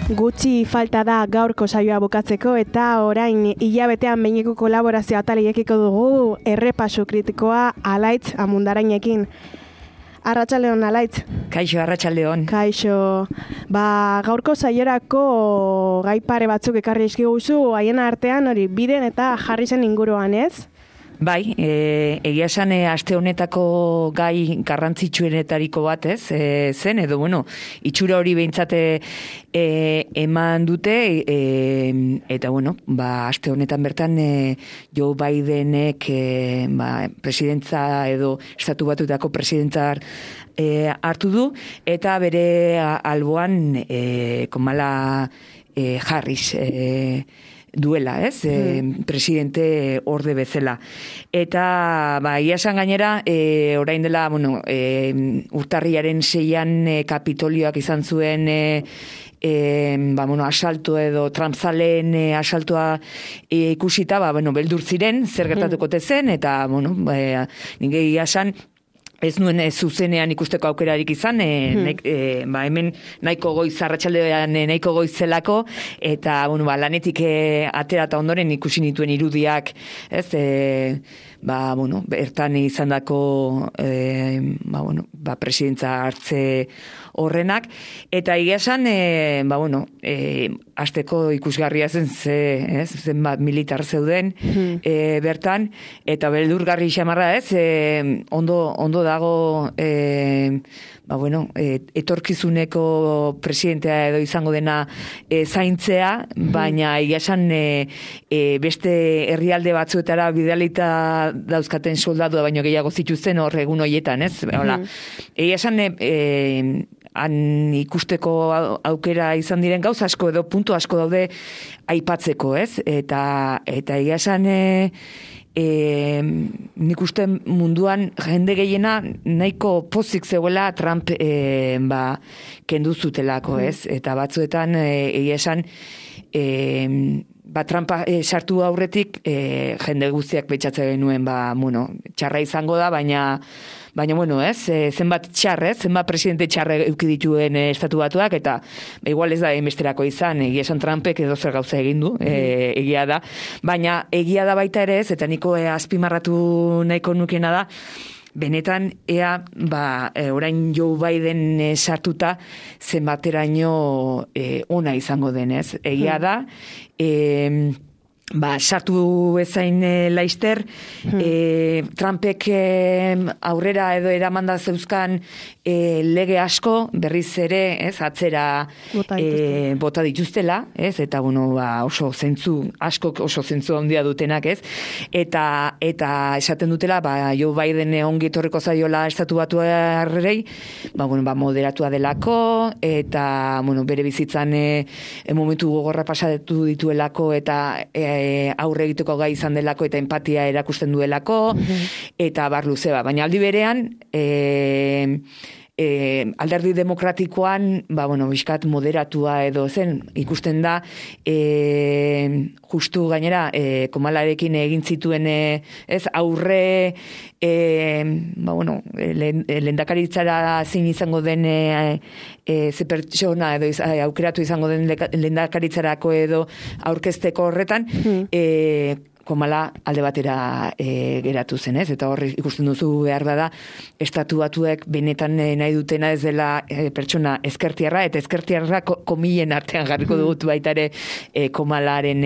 Gutxi falta da gaurko saioa bukatzeko eta orain hilabetean behineko kolaborazio ataliekiko dugu errepasu kritikoa Alaitz Amundarainekin. Arratsaldeon Alaitz. Kaixo, arratsaldeon. Kaixo. Gaurko saiorako gai pare batzuk ekarri dizkiguzu, haien artean hori biden eta jarri zen inguruan, ez? Bai, egia esan aste honetako gai garrantzitsuenetariko bat, ez? Zen edo itxura hori behintzat eman dute eta aste honetan bertan Joe Bidenek presidentza edo Estatu Batuetako presidentza hartu du eta bere alboan Kamala Harris duela, ez? Presidente orde bezala. Eta, ia esan gainera, orain dela, urtarriaren 6an Kapitolioak izan zuen asalto edo Trumpzaleen asaltoa ikusita, beldur ziren, zer gertatuko zen, eta, nire esan, ez nuen zuzenean ikusteko aukerarik izan, hemen nahiko goiz, arratsaldean nahiko goizelako, eta lanetik atera eta ondoren ikusi nituen irudiak, ez, bertan izan dako presidentza hartze horrenak, eta egia esan, asteko ikusgarria zen bat militar zeuden bertan, eta beldurgarri xamarra ez, ondo dago etorkizuneko presidentea edo izango dena zaintzea, baina egia esan beste herrialde batzuetara bidalita dauzkaten soldadua baino gehiago zituzten hor egun horietan, ez? Egia esan han ikusteko aukera izan diren gauza asko edo puntu asko daude aipatzeko, ez? Eta egia esan nik uste munduan jende gehiena nahiko pozik zegoela Trump kendu zutelako, ez? Eta batzuetan egia esan Trumpa sartu aurretik jende guztiak pentsatzen genuen txarra izango da, baina ez, zenbat txarrez, zenbat presidente txarre eduki dituen Estatu Batuak, eta igual ez da enbesterako izan, egia esan Trumpek edo zer gauza egin du, egia da, baina egia da baita ere ez, eta niko azpimarratu nahiko nukena da, benetan ea, orain Joe Biden sartuta zenbateraino ona izango denez. Egia da, sartu ezain laister, Trumpek aurrera edo eramanda zeuzkan lege asko, berriz ere, ez, atzera bota dituztela, ez, eta oso zentzu, askok oso zentzu handia dutenak, ez, eta esaten dutela, Joe Biden ongi etorriko zaiola Estatu Batuarrei, moderatua delako, eta, bere bizitzan momentu gogorra pasatu dituelako, eta aurre egiteko gai izan delako eta empatia erakusten duelako, eta bar luze baina aldi berean alderdi demokratikoan bizkat moderatua edo zen ikusten da justu gainera Kamalarekin egin zituen ez aurre lehendakaritzara zein izango den ze pertsona edo aukeratu izango den lehendakaritzarako edo aurkezteko horretan Kamala alde batera geratu zen, ez? Eta horri ikusten duzu behar da Estatu Batuek benetan nahi dutena ez dela pertsona ezkertiarra, eta ezkertiarra komilen artean jarriko dut baita ere Kamalaren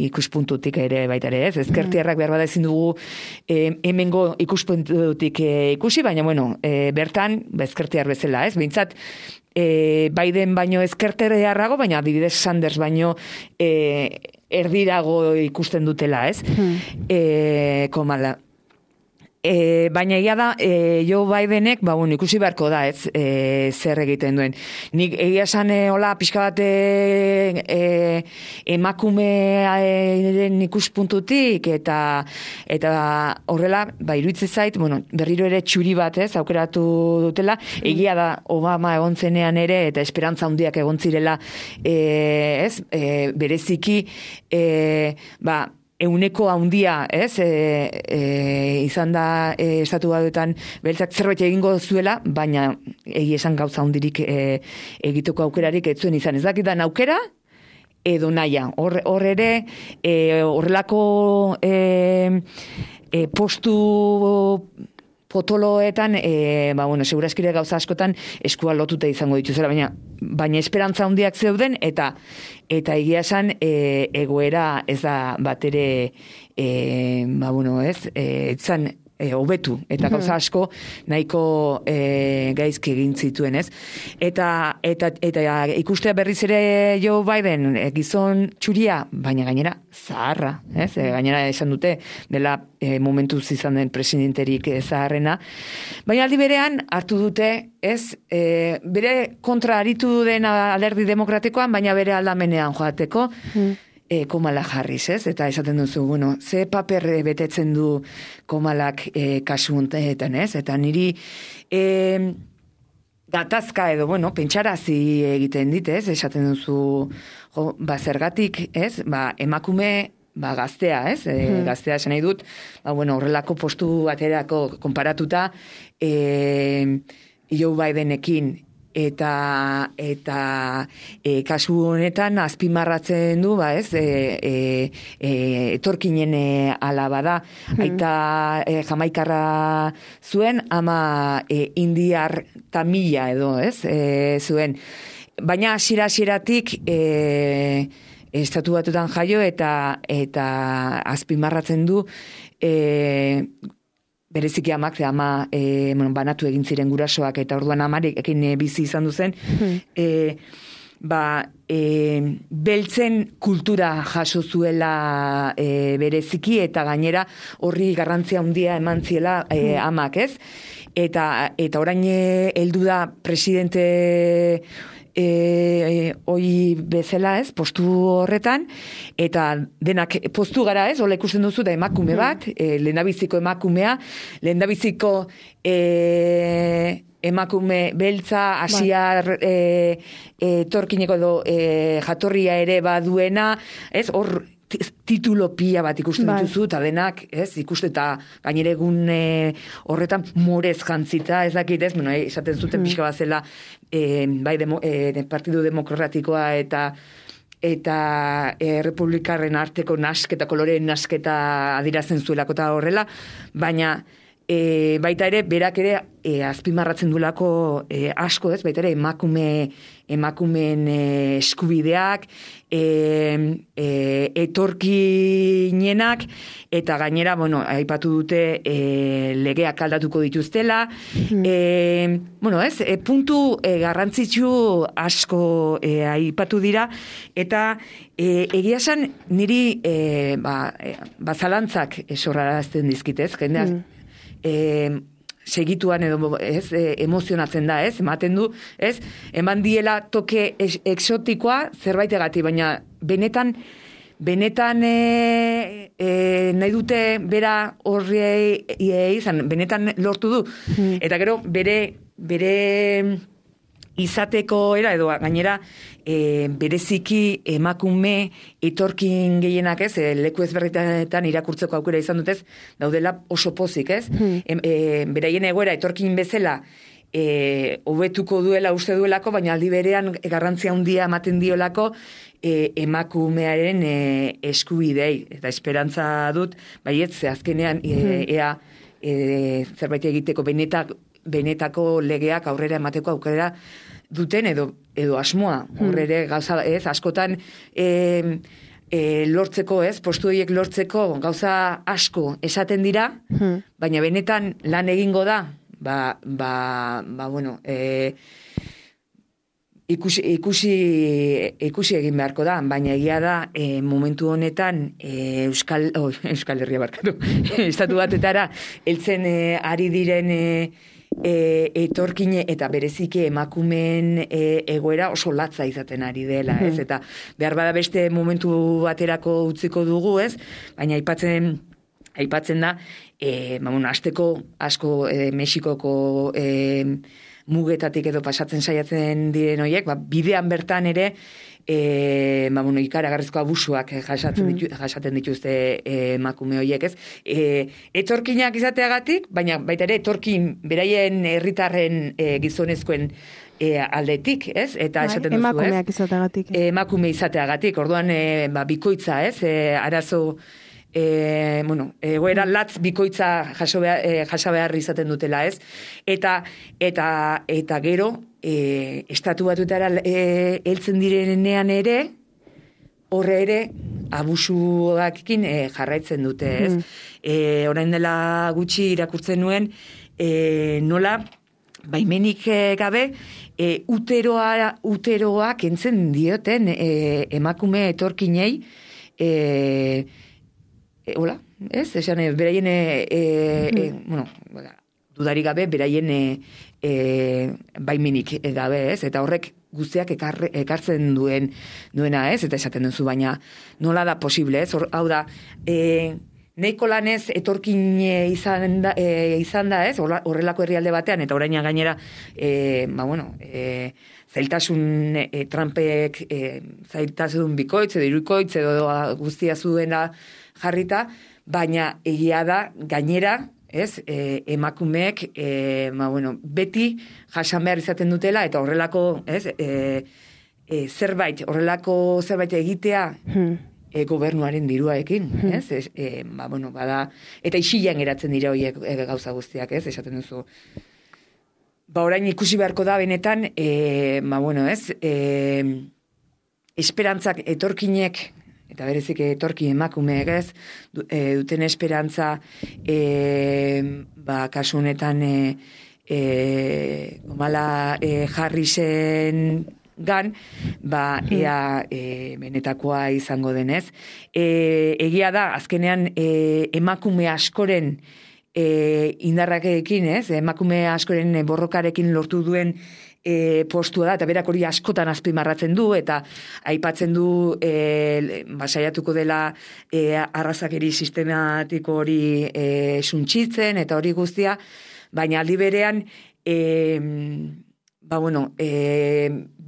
ikuspuntutik ere baita ere, ez? Ezkertiarrak behar bada ezin dugu hemengo ikuspuntutik ikusi, baina bertan ezkertiar bezala, ez? Behintzat Biden baino ezkertiarrago, baina adibidez Sanders baino erdirago ikusten dutela, ez? Kamala. Baina egia da, Joe Bidenek, ikusi beharko da, ez, zer egiten duen. Nik egia esan, pixka bat emakumearen ikuspuntutik, eta horrela, iruditzen zait, berriro ere txuri bat, ez, aukeratu dutela, egia da, Obama egon zenean ere, eta esperantza handiak egon zirela, ez, bereziki, euneko handia, ez, izan da estatu batuetan beltzak zerbait egingo zuela, baina egi esan gauza handirik egiteko aukerarik ez zuen izan. Ez dakidan aukera, edo naia. Hor ere, horrelako postu potoloetan, seguraskire gauza askotan eskua lotuta izango dituzela, baina esperantza handiak zeuden, eta egia esan egoera ez da bat ere, etzan hobetu, eta gauza asko nahiko gaizki egin zituen, ez? Eta ikustea berriz ere Joe Biden gizon txuria, baina gainera zaharra, ez? Gainera esan dute dela momentuz izan den presidenterik zaharrena, baina aldi berean hartu dute, ez? Bere kontra aritu den alderdi demokratikoan, baina bere aldamenean joateko, Kamala Harris, ez? Eta esaten duzu, ze paper betetzen du Kamalak kasu honetan, ez? Eta niri gatazka edo, pentsarazi egiten dit, ez? Esaten duzu, zergatik, ez? Emakume, gaztea, ez? Gaztea esan nahi dut, horrelako postu baterako konparatuta Joe Bidenekin, eta kasu honetan azpimarratzen du, etorkinen alaba da, aita jamaikarra zuen, ama indiar tamila edo, ez, zuen. Baina hasieratik estatu batutan jaio eta azpimarratzen du bereziki amak, banatu egin ziren gurasoak, eta orduan amarekin bizi izan duzen, beltzen kultura jaso zuela bereziki, eta gainera horri garrantzia handia eman ziela amak, ez? Eta orain heldu da presidente hoi bezala, ez, postu horretan, eta denak postu gara, ez, hola ikusten duzu da emakume bat, lehendabiziko emakumea, lehendabiziko emakume beltza, asiar torkineko edo jatorria ere baduena, ez, hor titulo pila bat ikusten dituzu, eta denak, ez, ikusten, eta gainere egun horretan morez jantzita, ez dakit, ez, esaten zuten pixka bat zela, Partidu Demokratikoa eta Republikarren arteko nasketa, koloreen nasketa adirazen zuelako eta horrela, baina baita ere, berak ere azpimarratzen duelako asko, ez, baita ere emakumeen eskubideak, etorkinenak, eta gainera, aipatu dute legeak aldatuko dituztela, puntu garrantzitsu asko aipatu dira, eta egia esan niri zalantzak sorrarazten dizkitez, jendeak segituan edo emozionatzen da, ez? Ematen du, ez? Eman diela toke exotikoa zerbaitegatik, baina benetan nahi dute bera horri izan, benetan lortu du. Eta gero bere izateko era, edo gainera bereziki emakume etorkin gehienak, ez, leku ezberdinetan irakurtzeko aukera izan dutez, daudela oso pozik, ez? Beraien egoera etorkin bezala hobetuko duela uste duelako, baina aldi berean garrantzia handia ematen diolako emakumearen eskubidei, eta esperantza dut, baietz, azkenean ea zerbait egiteko benetako legeak aurrera emateko aukera duten edo asmoa. Horrere gauza, ez, askotan lortzeko, ez, postu horiek lortzeko gauza asko esaten dira, baina benetan lan egingo da, ikusi egin beharko da, baina egia da momentu honetan Euskal Herria barkatu, estatu batetara heltzen ari diren etorkine eta bereziki emakumeen egoera oso latza izaten ari dela, ez? Eta behar bada beste momentu baterako utziko dugu, ez? Baina aipatzen da, asteko asko Mexikoko mugetatik edo pasatzen saiatzen diren horiek, bidean bertan ere, ikaragarrizko abusuak jasaten dituzte emakume horiek, ez? Etorkinak izateagatik, baina baita ere etorkin beraien herritarren gizonezkoen aldetik, ez? Eta esaten duzu, ez? Emakumeak izateagatik. Emakume izateagatik, orduan bikoitza, ez? Arazo egoera latz bikoitza jaso behar izaten dutela, ez? Eta gero, estatu batutara heltzen direnean ere, horre ere, abusuakin jarraitzen dute, ez? Orain dela gutxi irakurtzen nuen, nola, baimenik gabe, uteroak entzen dioten emakume etorkinei, hola, ez? Esan, beraien, dudarik gabe, beraien baimenik gabe, ez? Eta horrek guztiak ekartzen duena, ez? Eta esaten duzu, baina nola da posible, ez? Hau da, nahiko lanez etorkin izan da, ez? Horrelako herrialde batean, eta oraina gainera, zailtasun Trumpek zailtasun bikoitz edo irukoitz edo guztia zuena jarrita, baina egia da gainera, ez, emakumeek beti jasan behar izaten dutela, eta horrelako, ez, horrelako zerbait egitea gobernuaren diruaekin, ez? Bada, eta isilan geratzen dira horiek gauza guztiak, ez? Esaten duzu. Orain ikusi beharko da benetan, esperantzak etorkinek, eta berezik etorki emakumeek, ez, duten esperantza, kasu honetan, Harrisen gan, ea benetakoa izango denez. Egia da, azkenean emakume askoren indarrakekin, ez, emakume askoren borrokarekin lortu duen postua da, eta berak hori askotan azpimarratzen du, eta aipatzen du saiatuko dela arrazakeri sistematiko hori suntxitzen, eta hori guztia, baina aldi berean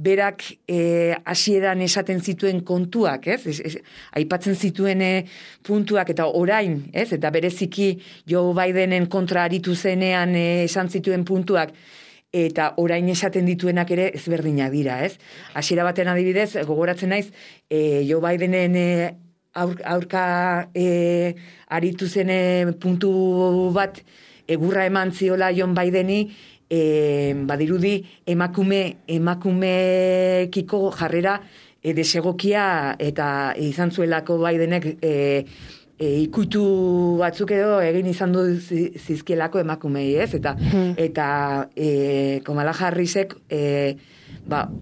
berak hasieran esaten zituen kontuak, ez? Aipatzen zituen puntuak eta orain, ez? Eta bereziki Joe Bidenen kontra aritu zenean esan zituen puntuak, eta orain esaten dituenak ere ezberdinak dira, ez? Hasiera baten adibidez, gogoratzen naiz, Joe Bidenen aurka aritu zen puntu bat egurra eman ziola John Bideni, badirudi emakumekiko jarrera desegokia eta izan zuelako Bidenek ikutu batzuk edo egin izan du zizkielako emakumei, ez? Eta Kamala Harrisek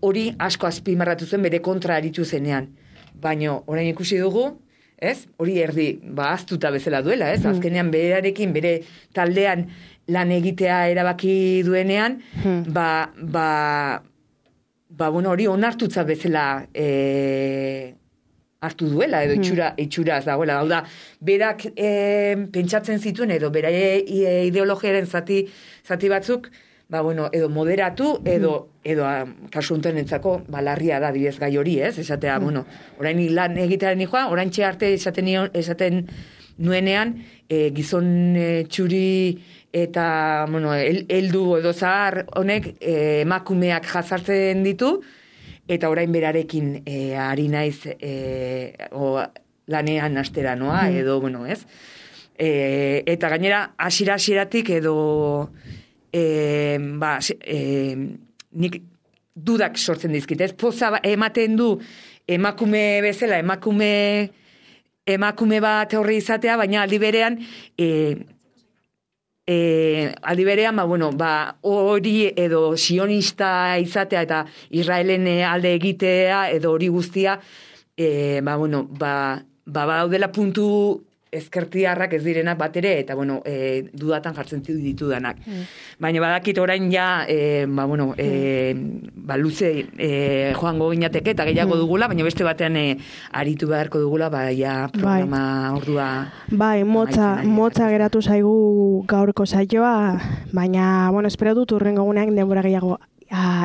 hori asko azpimarratu zen bere kontra aritu zenean. Baina orain ikusi dugu, ez? Hori erdi ahaztuta bezala duela, ez? Azkenean berarekin, bere taldean lan egitea erabaki duenean, hori onartutza bezala hartu duela, edo itxuraz dagoela. Hau da, berak pentsatzen zituen, edo bera ideologiaren zati batzuk, edo moderatu, edo kasu honetan entzako, larria da dibez gai hori, ez? Esatea, orain lan egitearen joan, orain arte esaten nuenean, gizon txuri eta, heldu edo zahar honek emakumeak jazartzen ditu, eta orain berarekin ari naiz lanean astera noa, edo, ez? Eta gainera, hasieratik edo nik dudak sortzen dizkit, ez? Poza ematen du emakume bezala, emakume bat horri izatea, baina aldi berean hori edo sionista izatea eta Israelen alde egitea edo hori guztia daudela puntu ezkertiarrak ez direnak bat ere, eta, bueno, dudatan jartzen ditudanak. Baina badakit orain ja, luze joango ginateke eta gehiago dugula, baina beste batean aritu beharko dugula, ja programa ordua... Bai, motza geratu zaigu gaurko saioa, baina, espero dut urrengo gunean denbora gehiago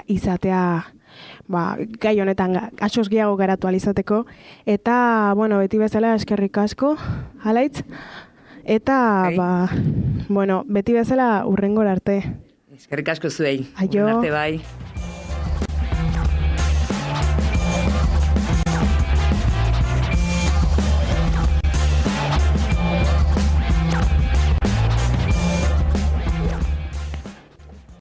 izatea, gai honetan asoz gehiago garatu alizateko, eta, beti bezala eskerrik asko, Alaitz, eta, beti bezala urrengora arte. Eskerrik asko zuei. Aio. Arte bai.